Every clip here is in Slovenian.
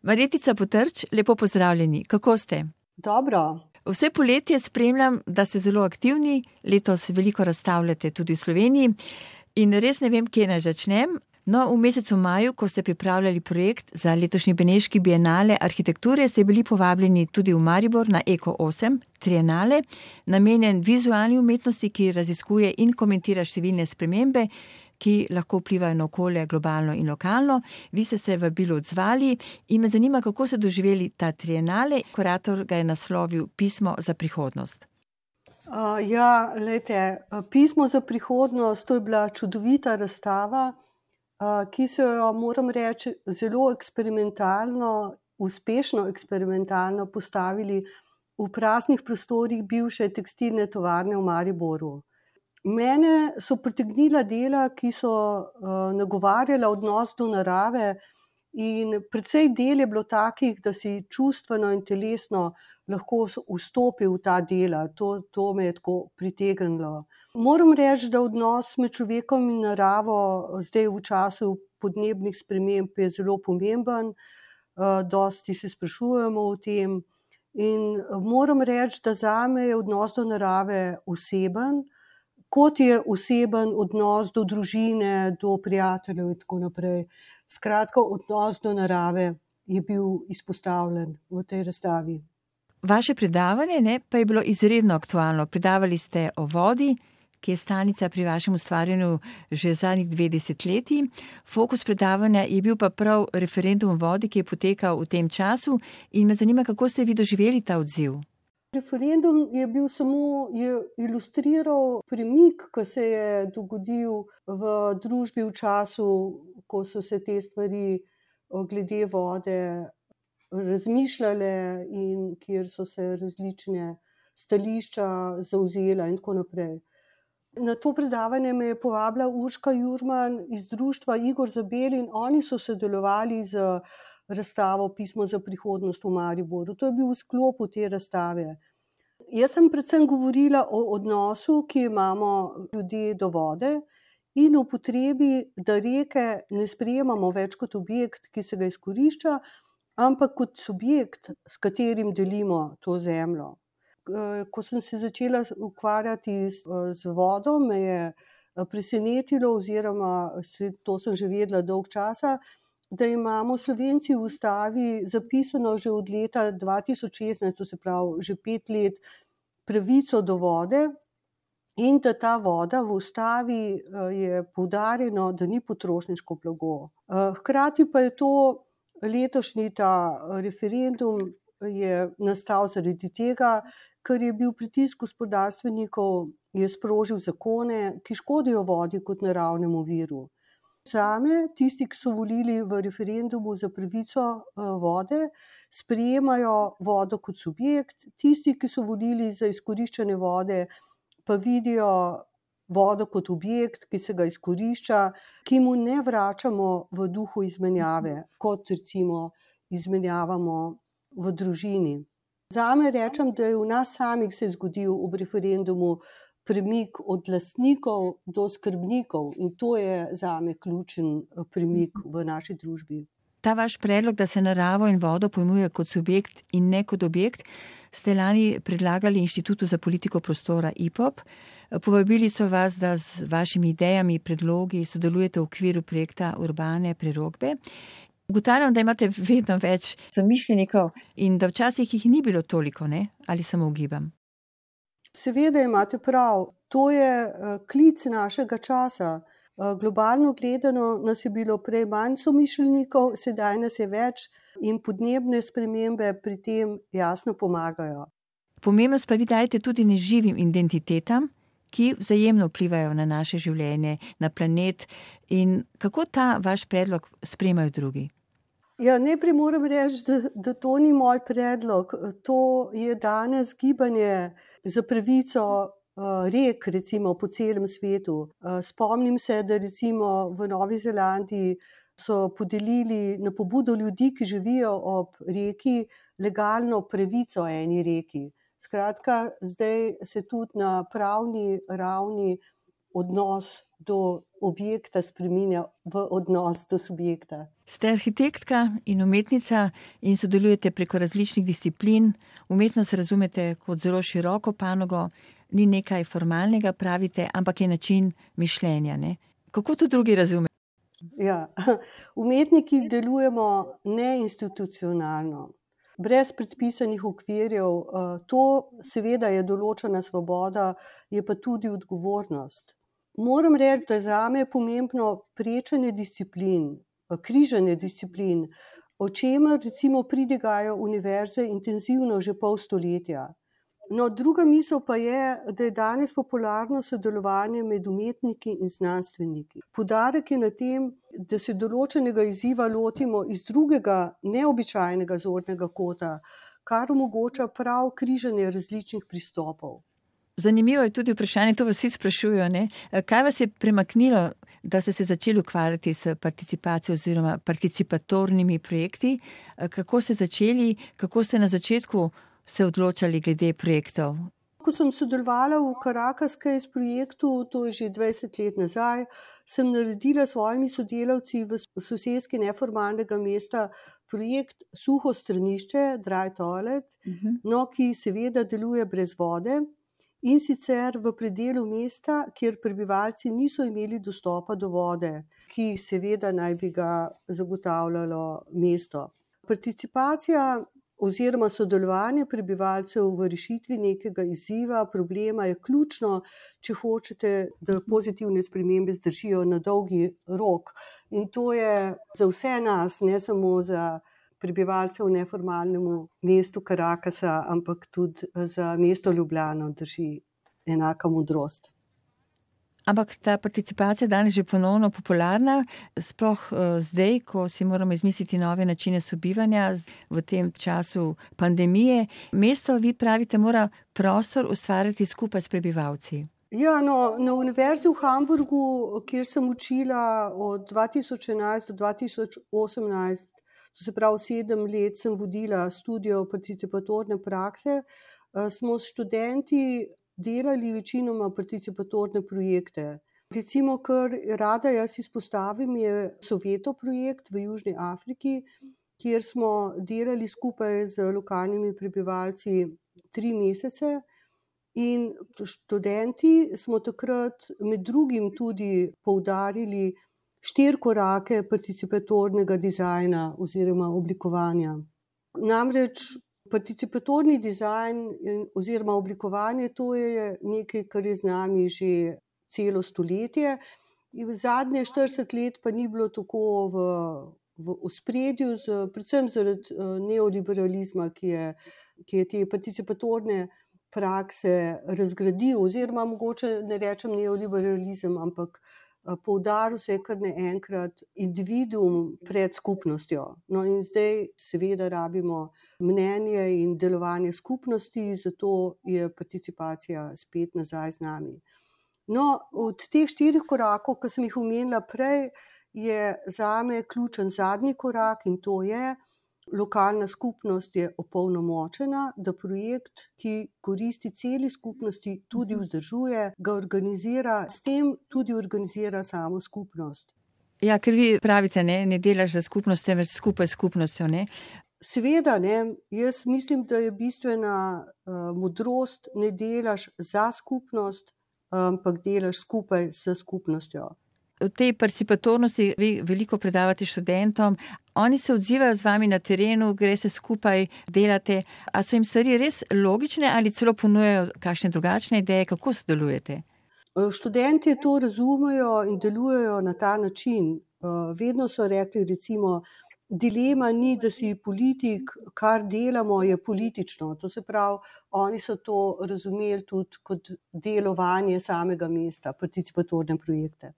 Marjetica Potrč, lepo pozdravljeni. Kako ste? Dobro. Vse poletje spremljam, da ste zelo aktivni, letos veliko razstavljate tudi v Sloveniji in res ne vem, kje naj začnem. No, v mesecu maju, ko ste pripravljali projekt za letošnji Beneški bienale arhitekture, ste bili povabljeni tudi v Maribor na Eko 8 trienale, namenjen vizualni umetnosti, ki raziskuje in komentira številne spremembe, ki lahko vplivajo na okolje globalno in lokalno. Vi ste se vabilu odzvali in me zanima, kako ste doživeli ta trienale. Kurator ga je naslovil Pismo za prihodnost. Pismo za prihodnost, to je bila čudovita razstava, ki so jo, moram reči, zelo eksperimentalno, uspešno eksperimentalno postavili v praznih prostorih bivše tekstilne tovarne v Mariboru. Mene so pritegnila dela, ki so nagovarjala odnos do narave in precej del je bilo takih, da si čustveno in telesno lahko vstopil v ta dela. To me je tako pritegnilo. Moram reči, da odnos med človekom in naravo zdaj v času podnebnih sprememb je zelo pomemben. Dosti se sprašujemo o tem in moram reči, da zame je odnos do narave oseben, kot je oseben odnos do družine, do prijateljev in tako naprej. Skratka, odnos do narave je bil izpostavljen v tej razstavi. Vaše predavanje pa je bilo izredno aktualno. Predavali ste o vodi, ki je stalnica pri vašem ustvarjanju že zadnjih 2 desetletji. Fokus predavanja je bil pa prav referendum o vodi, ki je potekal v tem času in me zanima, kako ste vi doživeli ta odziv. Referendum je ilustriral premik, ki se je dogodil v družbi v času, ko so se te stvari glede vode razmišljale in kjer so se različne stališča zavzela in tako naprej. Na to predavanje me je povabila Urška Jurman iz društva Igor Zabel in oni so sodelovali z razstavo Pismo za prihodnost v Mariboru. To je bil v sklopu te razstave. Jaz sem predvsem govorila o odnosu, ki imamo ljudje do vode in o potrebi, da reke ne sprejemamo več kot objekt, ki se ga izkorišča, ampak kot subjekt, s katerim delimo to zemljo. Ko sem se začela ukvarjati z vodo, me je presenetilo oziroma to sem že vedela dolgo časa, da imamo Slovenci v ustavi zapisano že od leta 2016, to se pravi že 5 let, pravico do vode in da ta voda v ustavi je poudarjeno, da ni potrošniško blago. Hkrati pa je to letošnji ta referendum je nastal zaradi tega, ker je bil pritisk gospodarstvenikov, je sprožil zakone, ki škodijo vodi kot naravnemu viru. Zame, tisti, ki so volili v referendumu za pravico vode, sprejemajo vodo kot subjekt, tisti, ki so volili za izkoriščanje vode, pa vidijo vodo kot objekt, ki se ga izkorišča, ki mu ne vračamo v duhu izmenjave, kot recimo izmenjavamo v družini. Zame rečem, da je v nas samih se zgodil ob referendumu premik od lastnikov do skrbnikov in to je zame ključen premik v naši družbi. Ta vaš predlog, da se naravo in vodo pojmuje kot subjekt in ne kot objekt, ste lani predlagali Inštitutu za politiko prostora IPOP. Povabili so vas, da z vašimi idejami, predlogi sodelujete v okviru projekta Urbane prerokbe. Ugotavljam, da imate vedno več somišljenikov in da včasih jih ni bilo toliko, ne? Ali samo ugibam? Seveda imate prav. To je klic našega časa. Globalno gledano nas je bilo prej manj somišljenikov, sedaj nas je več in podnebne spremembe pri tem jasno pomagajo. Pomembnost pa vi dajete tudi neživim identitetam, ki vzajemno vplivajo na naše življenje, na planet in kako ta vaš predlog sprejemajo drugi? Najprej moram reči, da to ni moj predlog. To je danes gibanje za pravico rek, recimo po celem svetu. Spomnim se, da recimo v Novi Zelandiji so podelili na pobudo ljudi, ki živijo ob reki, legalno pravico eni reki. Skratka, zdaj se tudi na pravni ravni odnos do objekta spreminja v odnos do subjekta. Ste arhitektka in umetnica in sodelujete preko različnih disciplin. Umetnost razumete kot zelo široko panogo, ni nekaj formalnega, pravite, ampak je način mišljenja. Ne? Kako to drugi razumejo? Ja, umetniki delujemo neinstitucionalno, brez predpisanih okvirjev. To seveda je določena svoboda, je pa tudi odgovornost. Moram reči, da zame je pomembno prečenje disciplin, križanje disciplin, o čemer recimo pridigajo univerze intenzivno že pol stoletja. No, druga misel pa je, da je danes popularno sodelovanje med umetniki in znanstveniki. Poudarek je na tem, da se določenega izziva lotimo iz drugega, neobičajnega zornega kota, kar omogoča prav križanje različnih pristopov. Zanimivo je tudi vprašanje, to vas vsi sprašujejo, ne? Kaj vas je premaknilo, da ste se začeli ukvarjati s participacijo oziroma participatornimi projekti? Kako ste začeli, kako ste na začetku se odločali glede projektov? Ko sem sodelovala v Caracas Case projektu, to je že 20 let nazaj, sem naredila s svojimi sodelavci v soseski neformalnega mesta projekt Suho stranišče, Dry Toilet, no, ki seveda deluje brez vode. In sicer v predelu mesta, kjer prebivalci niso imeli dostopa do vode, ki seveda naj bi ga zagotavljalo mesto. Participacija oziroma sodelovanje prebivalcev v rešitvi nekega izziva, problema je ključno, če hočete, da pozitivne spremembe zdržijo na dolgi rok. In to je za vse nas, ne samo za prebivalce v neformalnemu mestu Caracasa, ampak tudi za mesto Ljubljano drži enaka modrost. Ampak ta participacija danes že ponovno popularna, sploh zdaj, ko si moramo izmisliti nove načine sobivanja v tem času pandemije. Mesto, vi pravite, mora prostor ustvarjati skupaj s prebivalci. Ja, no, na univerzi v Hamburgu, kjer sem učila od 2011 do 2018, to se pravi 7 let sem vodila študijo participatorne prakse, smo s študenti delali večinoma participatorne projekte. Recimo, kar rada jaz izpostavim, je Soveto projekt v Južni Afriki, kjer smo delali skupaj z lokalnimi prebivalci 3 mesece in študenti smo takrat med drugim tudi poudarili 4 korake participatornega dizajna oziroma oblikovanja. Namreč participatorni dizajn oziroma oblikovanje, to je nekaj, kar je z nami že celo stoletje. In zadnje 40 let pa ni bilo tako v ospredju, predvsem zaradi neoliberalizma, ki je te participatorne prakse razgradil, oziroma mogoče ne rečem neoliberalizem, ampak poudaril se je kar naenkrat individuum pred skupnostjo. No in zdaj seveda rabimo mnenje in delovanje skupnosti, zato je participacija spet nazaj z nami. No, od teh 4 korakov, ki sem jih omenila prej, je zame ključen zadnji korak in to je, lokalna skupnost je opolnomočena, da projekt, ki koristi celi skupnosti, tudi vzdržuje, ga organizira, s tem tudi organizira samo skupnost. Ja, ker vi pravite, ne delaš za skupnost, temveč skupaj s skupnostjo, ne? Seveda, ne, jaz mislim, da je bistvena modrost, ne delaš za skupnost, ampak delaš skupaj s skupnostjo. V tej participatornosti vi veliko predavate študentom, oni se odzivajo z vami na terenu, gre se skupaj, delate, a so jim stvari res logične ali celo ponujajo kakšne drugačne ideje, kako sodelujete? Študenti to razumejo in delujejo na ta način. Vedno so rekli, recimo, dilema ni, da si politik, kar delamo je politično. To se pravi, oni so to razumeli tudi kot delovanje samega mesta, participatorne projekte.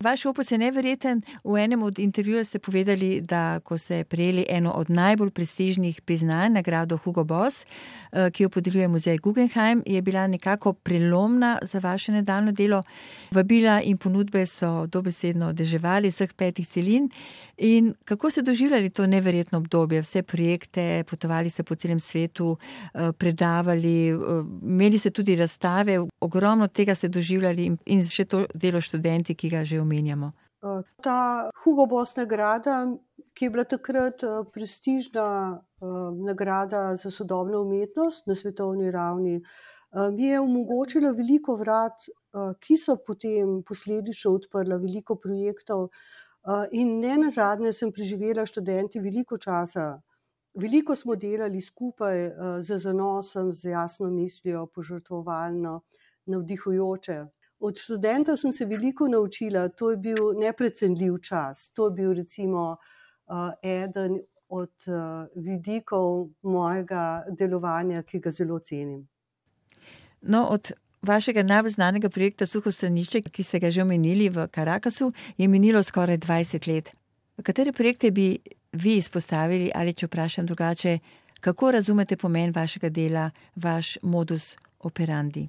Vaš opus je neverjeten. V enem od intervjujev ste povedali, da ko ste prejeli eno od najbolj prestižnih priznanj, nagrado Hugo Boss, ki jo podeljuje muzej Guggenheim, je bila nekako prelomna za vaše nadaljnje delo. Vabila in ponudbe so dobesedno deževali vseh 5 celin. In kako ste doživljali to neverjetno obdobje? Vse projekte, potovali ste po celem svetu, predavali, imeli ste tudi razstave, ogromno tega ste doživljali in še to delo študenti, ki ga že omenjamo. Ta Hugo Boss nagrada, ki je bila takrat prestižna nagrada za sodobno umetnost na svetovni ravni, mi je omogočila veliko vrat, ki so potem posledično odprla veliko projektov. In ne nazadnje sem preživela študenti veliko časa. Veliko smo delali skupaj z zanosom, z jasno mislijo, požrtvovalno, navdihujoče. Od študentov sem se veliko naučila, to je bil neprecenljiv čas. To je bil recimo eden od vidikov mojega delovanja, ki ga zelo cenim. No, od vašega najbolj znanega projekta Suho stranišče, ki ste ga že omenili v Caracasu, je minilo skoraj 20 let. Katere projekte bi vi izpostavili ali če vprašam drugače, kako razumete pomen vašega dela, vaš modus operandi?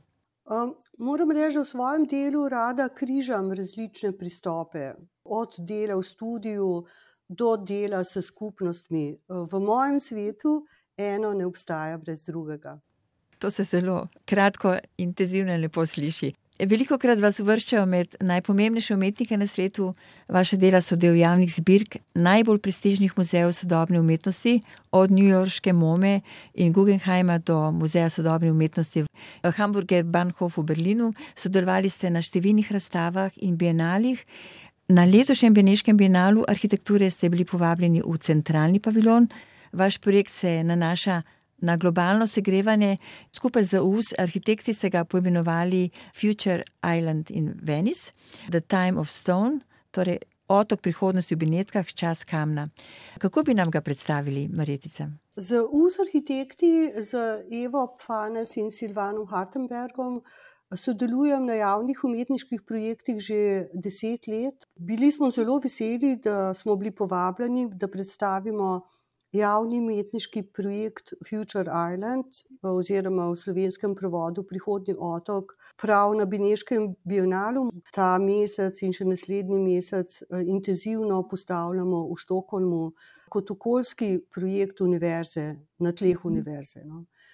Moram reči, da v svojem delu rada križam različne pristope. Od dela v studiu do dela s skupnostmi. V mojem svetu eno ne obstaja brez drugega. To se zelo kratko, intenzivno in lepo sliši. Velikokrat vas uvrščajo med najpomembnejše umetnike na svetu. Vaše dela so del javnih zbirk najbolj prestižnih muzejev sodobne umetnosti, od newyorške MoME in Guggenheima do Muzeja sodobne umetnosti v Hamburger Bahnhof v Berlinu. Sodelovali ste na številnih razstavah in bienalih. Na letošnjem Beneškem bienalu arhitekture ste bili povabljeni v centralni paviljon. Vaš projekt se nanaša na globalno segrevanje. Skupaj z US arhitekti ste ga poimenovali Future Island in Venice, The Time of Stone, torej otok prihodnosti v Benetkah, čas kamna. Kako bi nam ga predstavili, Marjetica? Z US arhitekti, z Evo Pfanes in Silvanom Hartenbergom sodelujem na javnih umetniških projektih že 10 let. Bili smo zelo veseli, da smo bili povabljeni, da predstavimo javni umetniški projekt Future Island oziroma v slovenskem prevodu Prihodnji otok prav na Beneškem bienalu. Ta mesec in še naslednji mesec intenzivno postavljamo v Štokholmu kot okoljski projekt univerze, na tleh univerze.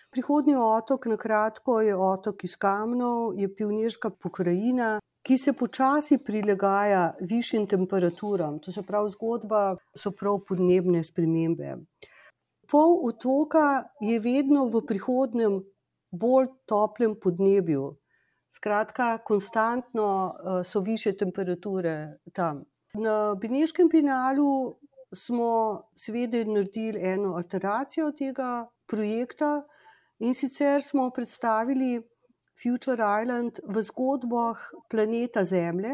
Prihodnji otok, na kratko, je otok iz kamnov, je pionirska pokrajina, ki se počasi prilagaja višjim temperaturam. To se pravi, zgodba so prav podnebne spremembe. Pol otoka je vedno v prihodnem bolj toplem podnebju. Skratka, konstantno so višje temperature tam. Na Beneškem bienalu smo seveda naredili eno alteracijo tega projekta in sicer smo predstavili Future Island v zgodbah planeta Zemlje,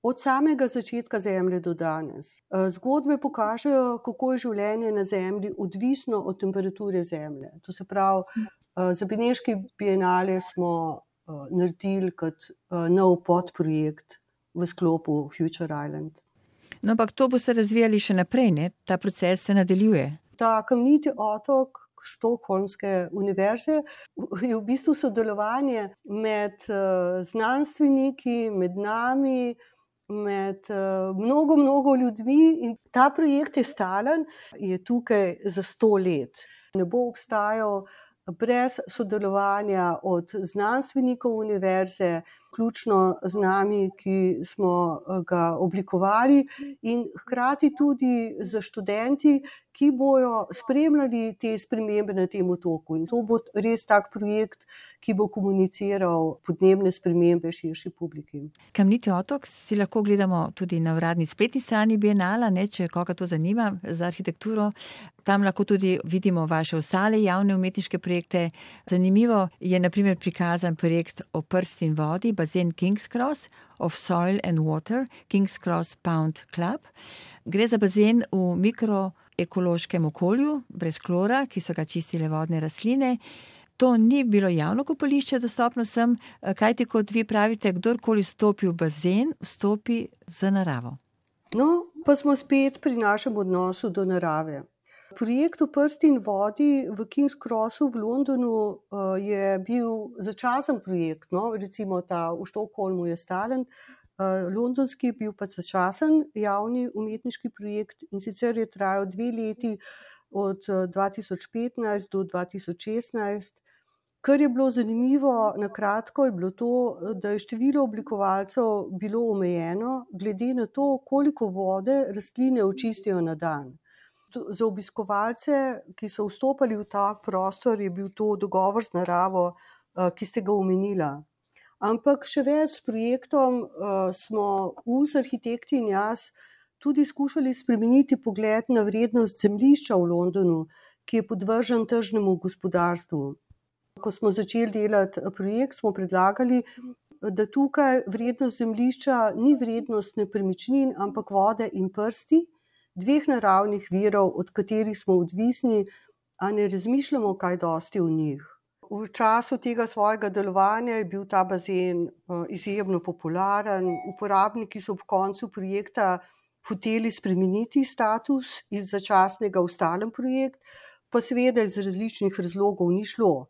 od samega začetka Zemlje do danes. Zgodbe pokažejo, kako je življenje na Zemlji odvisno od temperature Zemlje. To se pravi, za Beneški bienale smo naredili kot nov podprojekt v sklopu Future Island. No, ampak to boste razvijali še naprej, ne? Ta proces se nadaljuje. Ta kamniti otok Štokholmske univerze je v bistvu sodelovanje med znanstveniki, med nami, med mnogo ljudmi in ta projekt je stalen, je tukaj za 100 let. Ne bo obstajal brez sodelovanja od znanstvenikov univerze, vključno z nami, ki smo ga oblikovali, in hkrati tudi za študenti, ki bojo spremljali te spremembe na tem otoku. In to bo res tak projekt, ki bo komuniciral podnebne spremembe širši publiki. Kamniti otok si lahko gledamo tudi na uradni spletni strani bienala, ne, če koga to zanima za arhitekturo. Tam lahko tudi vidimo vaše ostale javne umetniške projekte. Zanimivo je na primer prikazan projekt o prsti in vodi, bazen King's Cross, of Soil and Water, King's Cross Pound Club. Gre za bazen v mikroekološkem okolju, brez klora, ki so ga čistile vodne rastline. to ni bilo javno kopališče dostopno vsem, kajti kot vi pravite, kdorkoli stopi v bazen, vstopi z naravo. No, pa smo spet pri našem odnosu do narave. Projekt O prsti in vodi v King's Crossu v Londonu je bil začasen projekt, no? Recimo ta v Štokholmu je stalen, londonski je bil pa začasen javni umetniški projekt in sicer je trajal 2 leti od 2015 do 2016. Kar je bilo zanimivo, na kratko je bilo to, da je število oblikovalcev bilo omejeno glede na to, koliko vode rastline očistijo na dan. Za obiskovalce, ki so vstopali v ta prostor, je bil to dogovor z naravo, ki ste ga omenila. Ampak še več, s projektom smo US arhitekti in jaz tudi skušali spremeniti pogled na vrednost zemljišča v Londonu, ki je podvržen tržnemu gospodarstvu. Ko smo začeli delati projekt, smo predlagali, da tukaj vrednost zemljišča ni vrednost nepremičnin, ampak vode in prsti, 2 naravnih virov, od katerih smo odvisni, a ne razmišljamo kaj dosti o njih. V času tega svojega delovanja je bil ta bazen izjemno popularen. Uporabniki so ob koncu projekta hoteli spremeniti status iz začasnega v stalen projekt, pa seveda iz različnih razlogov ni šlo.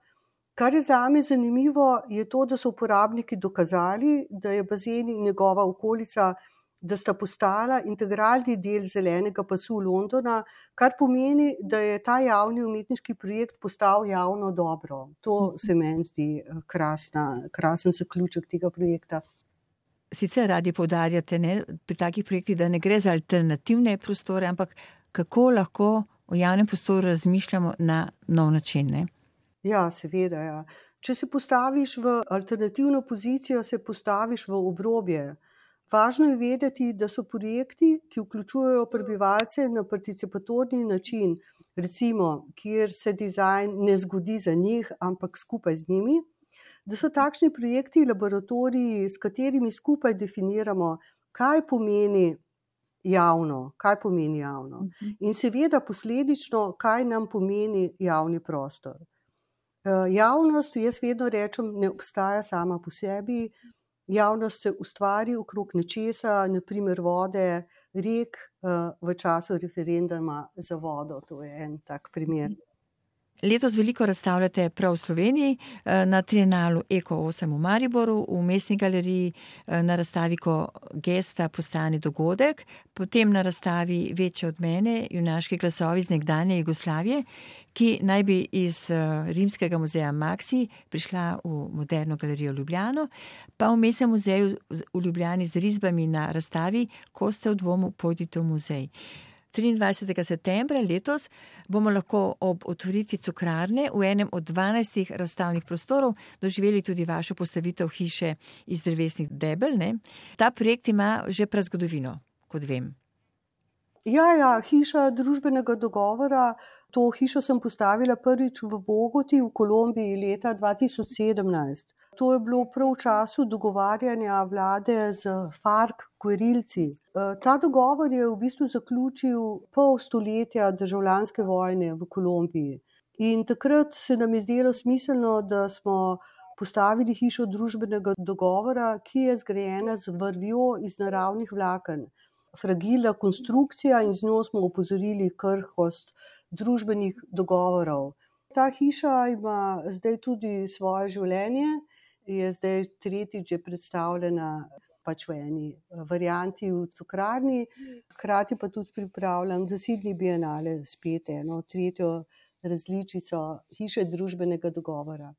Kar je zame zanimivo, je to, da so uporabniki dokazali, da je bazen in njegova okolica, da sta postala integralni del zelenega pasu Londona, kar pomeni, da je ta javni umetniški projekt postal javno dobro. To se meni zdi krasen zaključek tega projekta. Sicer radi poudarjate, ne, pri takih projektih, da ne gre za alternativne prostore, ampak kako lahko o javnem prostoru razmišljamo na nov način, ne? Ja, seveda, ja. Če se postaviš v alternativno pozicijo, se postaviš v obrobje. Važno je vedeti, da so projekti, ki vključujejo prebivalce na participatorni način, recimo, kjer se dizajn ne zgodi za njih, ampak skupaj z njimi, da so takšni projekti laboratoriji, s katerimi skupaj definiramo, kaj pomeni javno. In seveda posledično, kaj nam pomeni javni prostor. Javnost, jaz vedno rečem, ne obstaja sama po sebi. Javnost se ustvari okrog nečesa, naprimer vode, rek, v času referenduma za vodo. To je en tak primer. Letos veliko razstavljate prav v Sloveniji, na Trienalu Eko 8 v Mariboru, v Mestni galeriji, na razstavi Ko gesta postane dogodek, potem na razstavi Večje od mene, junaški glasovi iz nekdanje Jugoslavije, ki naj bi iz Rimskega muzeja Maxi prišla v Moderno galerijo Ljubljano, pa v Mestnem muzeju v Ljubljani z risbami na razstavi Ko ste v dvomu, pojdite v muzej. 23. septembra letos bomo lahko ob otvoritvi cukrarne v enem od 12 razstavnih prostorov doživeli tudi vašo postavitev hiše iz drevesnih debel, ne? Ta projekt ima že prazgodovino, kot vem. Ja, hiša družbenega dogovora. To hišo sem postavila prvič v Bogoti v Kolumbiji leta 2017. To je bilo prav v času dogovarjanja vlade z FARC gverilci. Ta dogovor je v bistvu zaključil pol stoletja državljanske vojne v Kolumbiji. In takrat se nam je zdelo smiselno, da smo postavili hišo družbenega dogovora, ki je zgrajena z vrvjo iz naravnih vlaken. Fragilna konstrukcija in z njo smo opozorili krhkost družbenih dogovorov. Ta hiša ima zdaj tudi svoje življenje, je zdaj tretjič že predstavljena v eni varianti v cukrarni, hkrati pa tudi pripravljam za Sydney Bienale spet eno tretjo različico hiše družbenega dogovora.